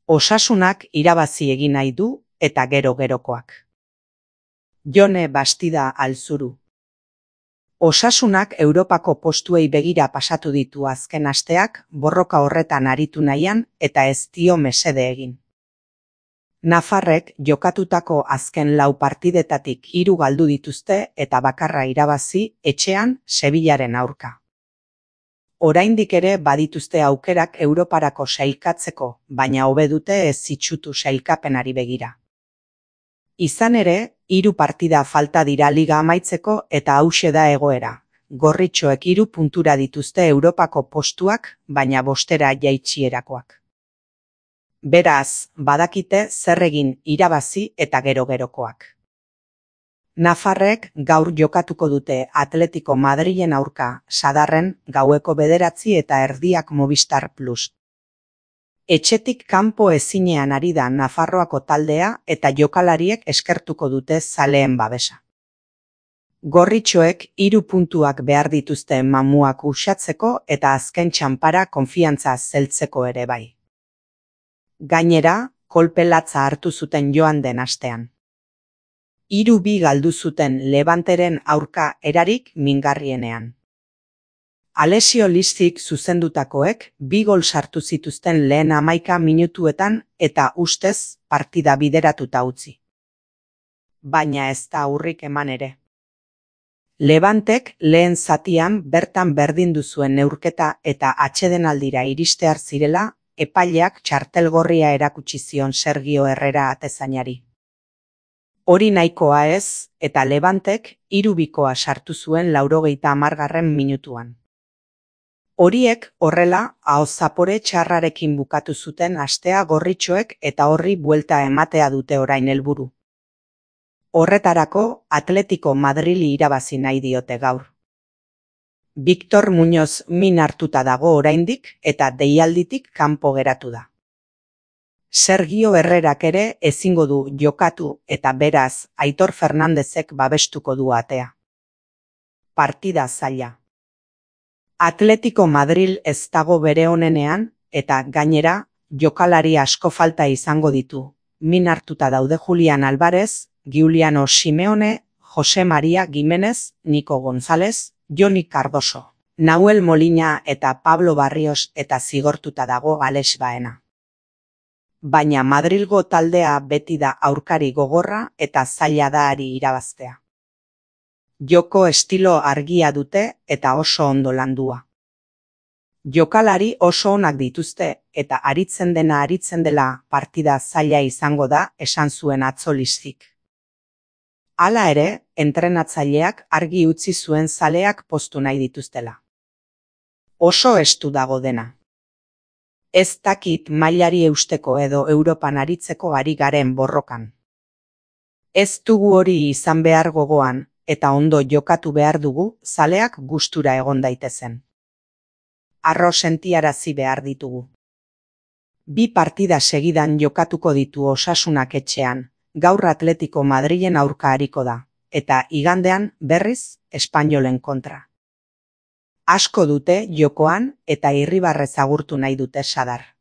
Osasunak irabazi egin nahi du eta gero-gerokoak. Jone Bastida Alzuru. Osasunak Europako postuei begira pasatu ditu azken asteak, borroka horretan aritu nahian eta ez dio mesede egin. Nafarrek jokatutako azken 4 partidetatik 3 galdu dituzte eta bakarra irabazi etxean Sevillaren aurka. Oraindik ere badituzte aukerak Europarako sailkatzeko, baina hobe dute ez itsutu sailkapenari begira. Izan ere, 3 partida falta dira liga amaitzeko eta hauxe da egoera. Gorritxoek 3 puntura dituzte Europako postuak, baina 5 jaitsierakoak. Beraz, badakite zer egin irabazi eta gero-gerokoak. Nafarrek gaur jokatuko dute Atletico Madrilen aurka, Sadarren gaueko 9:30 Movistar Plus. Etxetik kanpo ezinean ari da Nafarroako taldea eta jokalariek eskertuko dute zaleen babesa. Gorritxoek 3 puntuak behar dituzte mamuak uxatzeko eta azken txanpara konfiantza zeltzeko ere bai. Gainera, kolpe latza hartu zuten joan den astean. 3-2 galdu zuten Levanteren aurka erarik mingarrienean. Alessio Liszik zuzendutakoek 2 gol sartu zituzten lehen 11 minutuetan eta ustez partida bideratuta utzi. Baina ez da aurrik eman ere. Levantek lehen zatian bertan berdindu zuen neurketa eta atsedenaldira iristear zirela, epaileak txartel gorria erakutsi zion Sergio Herrera atezainari. Hori nahikoa ez, eta Levantek 3-2 sartu zuen 90. minutuan. Horiek horrela ahoz zapore txarrarekin bukatu zuten astea gorritxoek eta horri buelta ematea dute orain helburu. Horretarako Atletico Madrili irabazi nahi diote gaur. Victor Muñoz min hartuta dago oraindik eta deialditik kanpo geratu da. Sergio Herrerak ere ezingo du jokatu eta beraz Aitor Fernandezek babestuko du atea. Partida zaila. Atletico Madril ez dago bere onenean eta gainera jokalari asko falta izango ditu. Min hartuta daude Julian Álvarez, Giuliano Simeone, Jose María Giménez, Nico González, Joni Cardoso, Nahuel Molina eta Pablo Barrios eta zigortuta dago Alex Baena. Baina Madrilgo taldea beti da aurkari gogorra eta zaila da ari irabaztea. Joko estilo argia dute eta oso ondo landua. Jokalari oso onak dituzte eta aritzen dela partida zaila izango da esan zuen atzo Liszik. Hala ere, entrenatzaileak argi utzi zuen zaleak poztu nahi dituztela. Oso estu dago dena. Ez dakit mailari eusteko edo Europan aritzeko ari garen borrokan. Ez dugu hori izan behar gogoan eta ondo jokatu behar dugu zaleak gustura egon daitezen. Arro sentiarazi behar ditugu. 2 partida segidan jokatuko ditu Osasunak etxean, gaur Atletico Madrilen aurka ariko da, eta igandean berriz Espainolen kontra. Asko dute jokoan eta irribarrez agurtu nahi dute Sadar.